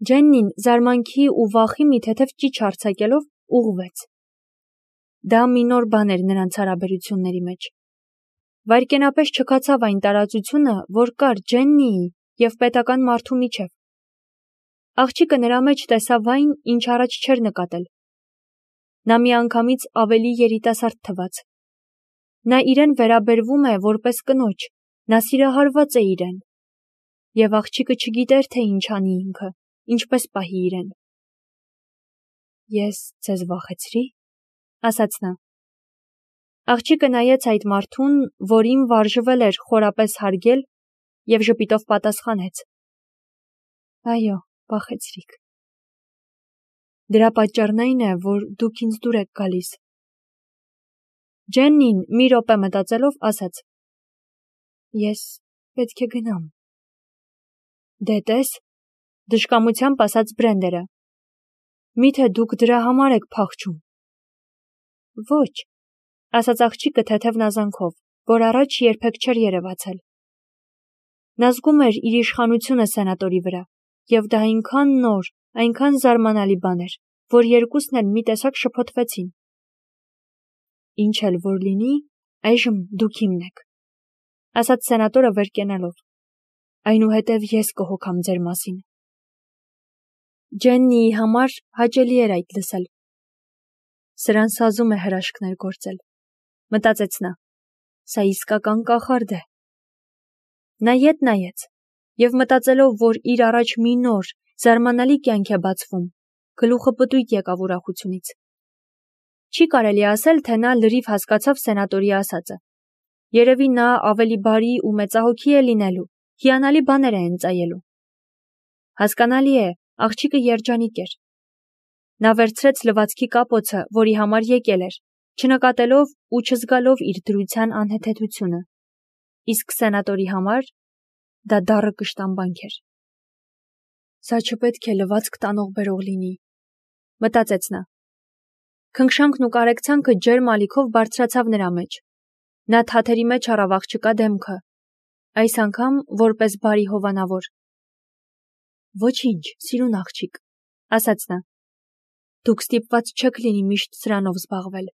Ջեննին զարմանքի ու վախի մի թեթև ճիչ արձակելով ուղղվեց։ Դա մի նոր բան էր նրանց հարաբերությունների մեջ։ Վայրկենապես չքացավ այն տարածությունը, որ կար Ջեննիի և պետական մարդու միջև։ Աղջիկը նրա մեջ տեսավ այն, ինչ առաջ չէր նկատել։ Նա միանգամից ավելի երիտասարդ թվաց։ Նա իրեն վերաբերվում է որպես կնոջ, նա սիրահարված է իրեն։ Եվ աղջիկը չգիտեր, թե ինչ անի ինքը, ինչպես պահի իրեն։ Ես ձեզ վախեցրի՞, ասաց նա։ Աղջիկը նայեց այդ մարդուն, որին վարժվել էր խորապես հարգել, և ժպիտով պատասխանեց. Այո, վախեցրիք։ Դրա պատճառն այն է, որ դուք ինձ դուր եք գալիս։ Ջեննին մի րոպե մտածելով ասաց. Ես պետք է գնամ։ Դե տես, դժկամությամբ ասաց Բրենդերը։ Միթե դուք դրա համար եք փախչում։ Ոչ, ասաց աղջիկը թեթև նազանքով, որ առաջ երբեք չէր երևացել։ Նա զգում էր իր իշխանությունը սենատորի վրա, և դա այնքան նոր, այնքան զարմանալի բան էր, որ երկուսն էլ մի տեսակ շփոթվեցին։ Ինչ էլ որ լինի, այժմ դուք իմն եք, ասաց սենատորը վեր կենալով։ Այնուհետև ես կհոգամ ձեր մասին։ Ջեննիի համար հաճելի էր այդ լսել։ Սրան սազում է հրաշքներ գործել, մտածեց նա։ Սա իսկական կախարդ է։ Նա ետ նայեց, և մտածելով, որ իր առաջ մի նոր, զարմանալի կյանք է բացվում, գլուխը պտույտ եկավ ուրախությունից։ Չի կարելի ասել, թե նա լրիվ հասկացավ սենատորի ասածը։ Երևի նա ավելի բարի ու մեծահոգի է լինելու, հիանալի բաներ է ընծայելու։ Հասկանալի է, աղջիկը երջանիկ էր։ Նա վերցրեց լվացքի կապոցը, որի համար եկել էր, չնկատելով ու չզգալով իր դրության անհեթեթությունը։ Իսկ սենատորի համար դա դառը կշտամբանք էր։ Սա չպետք է լվացք տանող-բերող լինի, մտածեց նա։ Քնքշանքն ու կարեկցանքը ջերմ ալիքով բարձրացավ նրա մեջ։ Նա թաթերի մեջ առավ աղջկա դեմքը, այս անգամ որպես բարի հովանավոր։ Ոչինչ, սիրուն աղջիկ, ասաց նա։ Դուք ստիպված չեք լինի միշտ սրանով զբաղվել։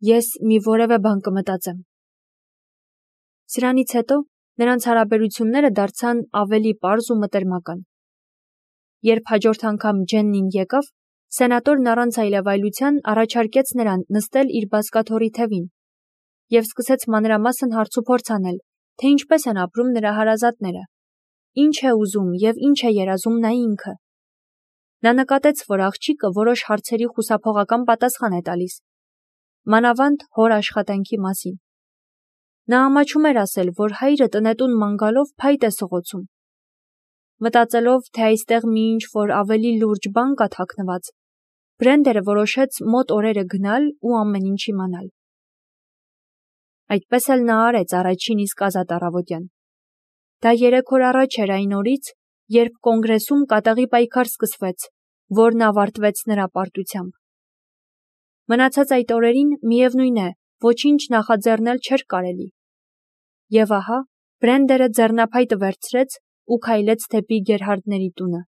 Ես մի որևէ բան կմտածեմ։ Սրանից հետո նրանց հարաբերությունները դարձան ավելի պարզ ու մտերմական։ Երբ հաջորդ անգամ Ջեննին եկավ, սենատորն առանց այլևայլության առաջարկեց նրան նստել իր բազկաթոռի թևին և սկսեց մանրամասն հարցուփորձ անել, թե ինչպես են ապրում նրա հարազատները, ինչ է ուզում և ինչ է երազում նա ինքը։ Նա նկատեց, որ աղջիկը որոշ հարցերի խուսափողական պատասխան է տալիս, մանավանդ հոր աշխատանքի մասին։ Նա ամաչում էր ասել, որ հայրը տնետուն ման գալով փայտ է սղոցում։ Մտածելով, թե այստեղ մի ինչ-որ ավելի լուրջ բան կա թաքնված, Բրենդերը որոշեց մոտ օրերը գնալ ու ամեն ինչ իմանալ։ Այդպես էլ նա արեց առաջին իսկ ազատ առավոտյան։ Դա 3 օր առաջ էր այն օրից, երբ կոնգրեսում կատաղի պայքար սկսվեց, որն ավարտվեց նրա պարտությամբ։ Մնացած այդ օրերին, միևնույն է, ոչինչ նախաձեռնել չէր կարելի։ Եվ ահա, Բրենդերը ձեռնափայտը վերցրեց ու քայլեց դեպի Գերհարդների տունը։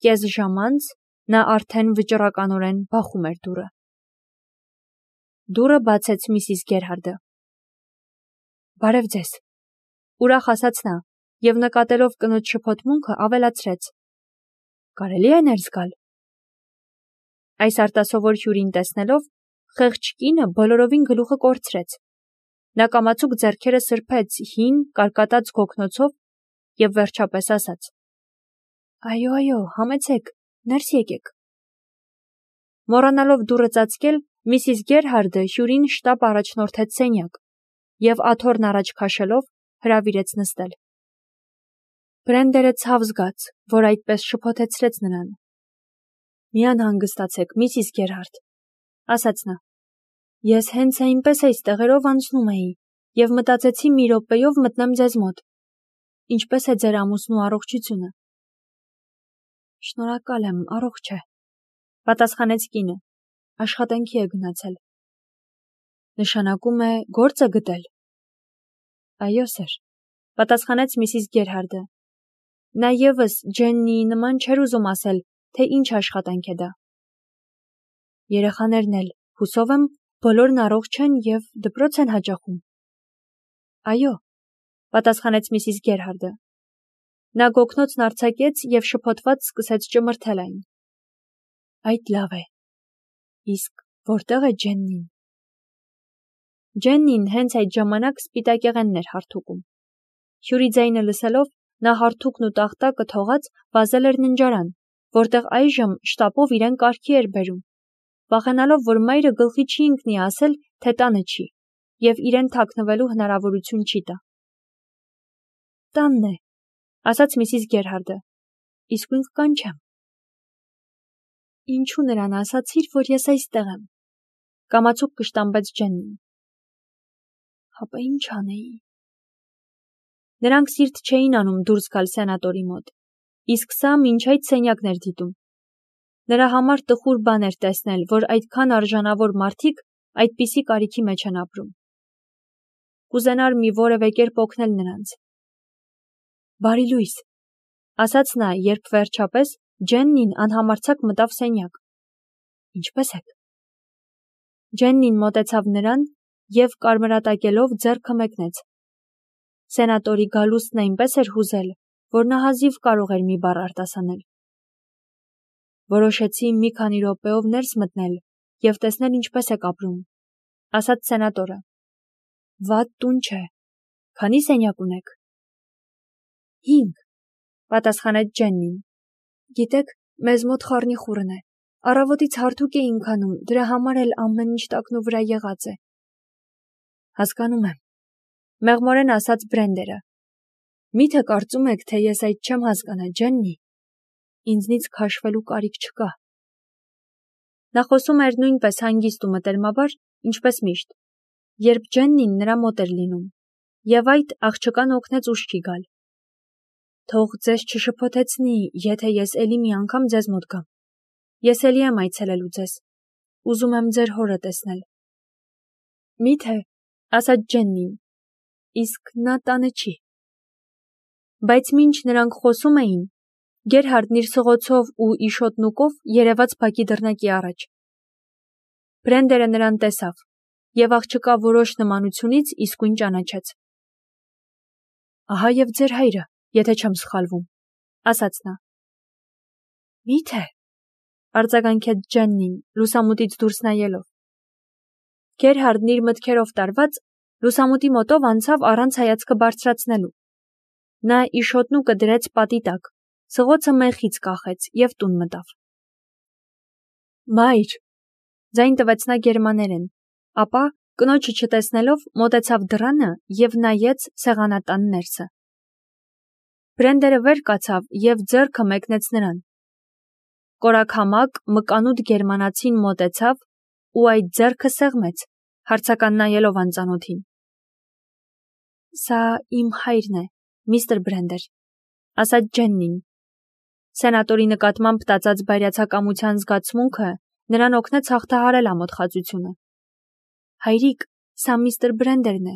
Կես ժամ անց նա արդեն վճռականորեն բախում էր դուռը։ Դուռը բացեց Միսիս Գերհարդը։ Բարև ձեզ, ուրախ ասաց նա, և նկատելով կնոջ շփոթմունքը ավելացրեց. Կարելի է ներս գալ։ Այս արտասովոր հյուրին տեսնելով, խեղճ կինը բոլորովին գլուխը կորցրեց։ Նա կամացուկ ձեռքերը սրբեց հին, կարկատած գոգնոցով և վերջապես ասաց. Այո, համեցեք, ներս եկեք։ Մոռանալով դուռը ծածկել, Միսիս Գերհարդը հյուրին շտապ առաջնորդեց սենյակ և աթոռն առաջ քաշելով հրավիրեց նստել։ Բրենդերը ցավ զգաց, որ այդպես շփոթեցրեց նրան։ Մի անհանգստացեք, Միսիս Գերհարդ, ասաց նա։ Ես հենց այնպես այս տեղերով անցնում էի և մտածեցի մի րոպեով մտնեմ ձեզ մոտ։ Ինչպես է ձեր ամուսնու առողջությունը։ Շնորհակալ եմ, առողջ է, պատասխանեց կինը, աշխատանքի է գնացել։ Նշանակում է գործ է գտել։ Այո, սեր, պատասխանեց Միսիս Գերհարդը։ Նա ևս Ջեննիի նման չէր ուզում ասել, թե ինչ աշխատանք է դա։ Երեխաներն էլ, հուսով եմ, բոլորն առողջ են և դպրոց են հաճախում։ Այո, պատասխանեց Միսիս Գերհարդը։ Նա գոգնոցն արձակեց և շփոթված սկսեց ճմրթել այն։ Այդ լավ է։ Իսկ որտեղ է Ջեննին։ Ջեննին հենց այդ ժամանակ սպիտակեղենն էր հարթուկում։ Հյուրի ձայնը լսելով, նա հարթուկն ու տախտակը թողած վազել էր ննջարան, որտեղ այժմ շտապով իրեն կարգի էր բերում, վախենալով, որ մայրը գլխի չի ընկնի ասել, թե տանը չի, և իրեն թաքնվելու հնարավորություն չի տա։ Տանն է, ասաց Միսիս Գերհարդը, իսկույն կկանչեմ։ Ինչու նրան ասացիր, որ ես այստեղ եմ, կամացուկ կշտամբեց Ջեննին։ Հապա ինչ անեի։ Նրանք սիրտ չէին անում դուրս գալ սենատորի մոտ, իսկ սա մինչ այդ սենյակն էր դիտում։ Նրա համար տխուր բան էր տեսնել, որ այդքան արժանավոր մարդիկ այդպիսի կարիքի մեջ են ապրում։ Կուզենար մի որևէ կերպ օգնել նրանց։ Բարի լույս, ասաց նա, երբ վերջապես Ջեննին անհամարձակ մտավ սենյակ։ Ինչպե՞ս եք։ Ջեննին մոտեցավ նրան և կարմրատակելով ձեռքը մեկնեց։ Սենատորի գալուստն այնպես էր հուզել, որ նա հազիվ կարող էր մի բառ արտասանել։ Որոշեցի մի քանի րոպեով ներս մտնել և տեսնել ինչպես եք ապրում, ասաց սենատորը։ Վատ տուն չէ։ Քանի սենյակ ունեք։ 5, պատասխանեց Ջեննին։ Գիտեք, մեզ մոտ խառնիխուռն է։ Առավոտից հարթուկ էինք անում, դրա համար էլ ամեն ինչ տակնու վրա եղած է։ Հասկանում եմ, մեղմորեն ասաց Բրենդերը։ Միթե կարծում եք, թե ես այդ չեմ հասկանա, Ջեննի։ Ինձնից քաշվելու կարիք չկա։ Նա խոսում էր նույնպես հանգիստ ու մտերմաբար, ինչպես միշտ, երբ Ջեննին նրա մոտ էր լինում, և այդ աղջկան օգնեց ուշ չի գալ։ Թող ձեզ չշփոթեցնի, եթե ես էլի մի անգամ ձեզ մոտ գամ։ Ես էլի եմ այցելելու ձեզ։ Ուզում եմ ձեր հորը տեսնել։ Միթե, ասաց Ջեննին, իսկ նա տանը չի։ Բայց մինչ նրանք խոսում էին, Գերհարդն իր սղոցով ու իշոտնուկով երևաց բակի դռնակի առաջ։ Բրենդերը նրան տեսավ, և աղջկա որոշ նմանությունից իսկույն ճանաչեց։ Ահա և ձեր հայրը, եթե չեմ սխալվում, ասաց նա։ Միթե, արձագանքեց Ջեննին, լուսամուտից դուրս նայելով։ Գերհարդն իր մտքերով տարված, լուսամուտի մոտով անցավ առանց հայացքը բարձրացնելու։ Նա իշոտնուկը դրեց պատի տակ, սղոցը մեխից կախեց և տուն մտավ։ Մայր, ձայն տվեց նա գերմաներեն, ապա, կնոջը չտեսնելով, մոտեցավ դռանը և նայեց սեղանատան ներսը։ Բրենդերը վեր կացավ և ձեռքը մեկնեց նրան։ Կորաքամակ, մկանուտ գերմանացին մոտեցավ ու այդ ձեռքը սեղմեց, հարցական նայելով անծանոթին։ Սա իմ հայրն է, միստր Բրենդեր, ասաց Ջեննին։ Սենատորի նկատմամբ տածած բայրացակամության զգացմունքը նրան օգնեց հաղթահարել ամոթխածությունը։ Հայրիկ, սա միստր Բրենդերն է,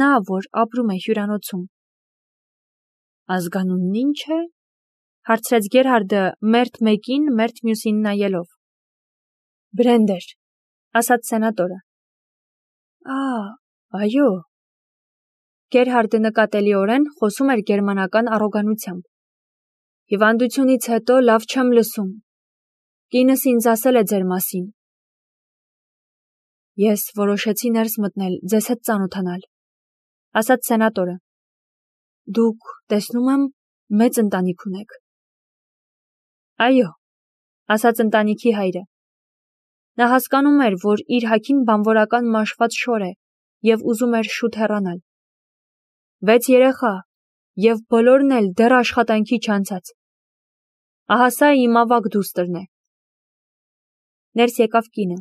նա, որ ապրում է հյուրանոցում։ Ազգանունն ինչ է, հարցրեց Գերհարդը մերթ մեկին, մերթ մյուսին նայելով։ Բրենդեր, ասաց սենատորը։ Այո։ Գերհարդը նկատելիորեն խոսում էր գերմանական առոգանությամբ։ Հիվանդությունից հետո լավ չեմ լսում։ Կինս ինձ ասել է ձեր մասին։ Ես որոշեցի ներս մտնել, ձեզ հետ ծանոթանալ, ասաց սենատորը։ Դուք, տեսնում եմ, մեծ ընտանիք ունեք։ Այո, ասաց ընտանիքի հայրը։ Նա հասկանում էր, որ իր հագին բանվորական մաշված շոր է և ուզում էր շուտ հեռանալ։ 6 երեխա, և բոլորն էլ դեռ աշխատանքի չանցած։ Ահա սա իմ ավագ դուստրն է։ Ներս եկավ կինը,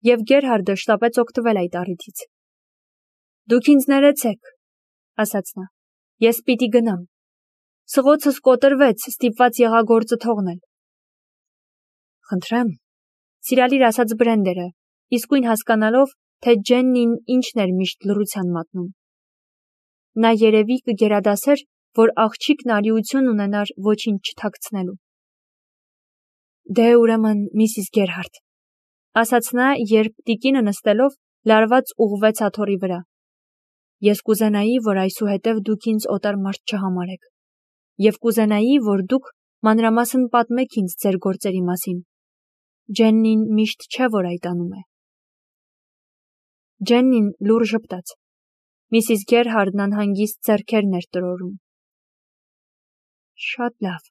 և Գերհարդը շտապեց օգտվել այդ առիթից։ Դուք ինձ ներեցեք, ասաց նա, ես պիտի գնամ։ Սղոցս կոտրվեց, ստիպված եղա գործը թողնել։ Խնդրեմ, սիրալիր ասաց Բրենդերը, իսկույն հասկանալով, թե Ջեննին ինչն էր միշտ լռության մատնում։ Նա երևի կգերադասեր, որ աղջիկն արիություն ունենար ոչինչ չթաքցնելու։ Դե ուրեմն Միսիս Գերհարդ, ասաց նա, երբ տիկինը նստելով լարված ուղղվեց աթոռի վրա։ Ես կուզենայի, որ այսուհետև դուք ինձ օտար մարդ չհամարեք, և կուզենայի, որ դուք մանրամասն պատմեք ինձ ձեր գործերի մասին։ Ջեննին միշտ չէ, որ այդ անում է։ Ջեննին լուռ ժպտաց։ Միսիս Գերհարդն անհանգիստ ձեռքերն էր տրորում։ Շատ լավ,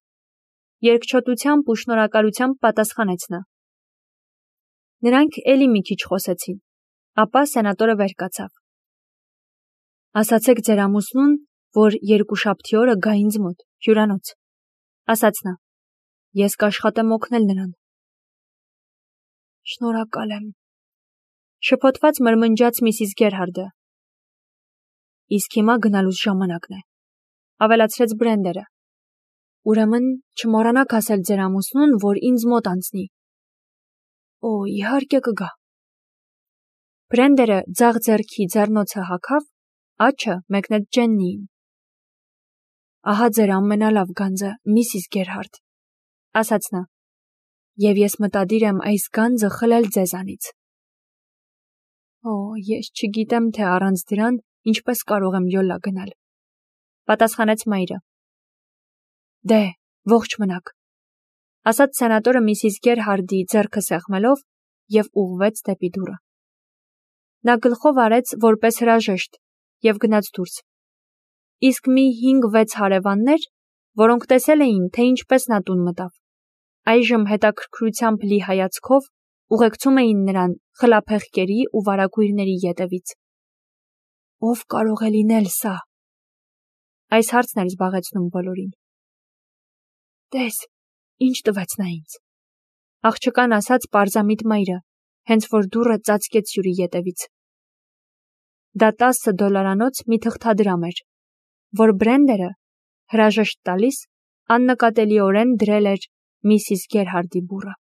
երկչոտությամբ ու շնորհակալությամբ պատասխանեց նա։ Նրանք էլի մի քիչ խոսեցին, ապա սենատորը վեր կացավ։ Ասացեք ձեր ամուսնուն, որ երկուշաբթի օրը գա ինձ մոտ, հյուրանոց, ասաց նա։ Ես կաշխատեմ օգնել նրան։ Շնորհակալ եմ, շփոթված մրմնջաց Միսիս Գերհարդը։ Իսկ հիմա գնալուս ժամանակն է, ավելացրեց Բրենդերը։ Ուրեմն չմոռանաք ասել ձեր ամուսնուն, որ ինձ մոտ անցնի։ Օ, իհարկե կգա։ Բրենդերը ձախ ձեռքի ձեռնոցը հագավ, աչը մեկնեց Ջեննիին։ Ահա ձեր ամենալավ գանձը, Միսիս Գերհարդ, ասաց նա, և ես մտադիր եմ այս գանձը խլել ձեզանից։ Օ, ես չգիտեմ, թե առանց դրան ինչպես կարող եմ յոլա գնալ, պատասխանեց մայրը։ Դե, ողջ մնաք, ասաց սենատորը Միսիս Գերհարդի ձեռքը սեղմելով և ուղղվեց դեպի դուռը։ Նա գլխով արեց որպես հրաժեշտ և գնաց դուրս։ Իսկ մի 5-6 հարևաններ, որոնք տեսել էին, թե ինչպես նա տուն մտավ, այժմ հետաքրքրությամբ լի հայացքով ուղեկցում էին նրան խլափեղկերի ու վարագույրների ետևից։ Ով կարող է լինել սա։ Այս հարցն էր զբաղեցնում բոլորին։ Տես, ինչ տվեց նա ինձ, աղջկան ասաց պարզամիտ մայրը, հենց որ դուռը ծածկեց հյուրի ետևից։ Դա $10 մի թղթադրամ էր, որ Բրենդերը, հրաժեշտ տալիս, աննկատելիորեն դրել էր Միսիս Գերհարդի բուռը։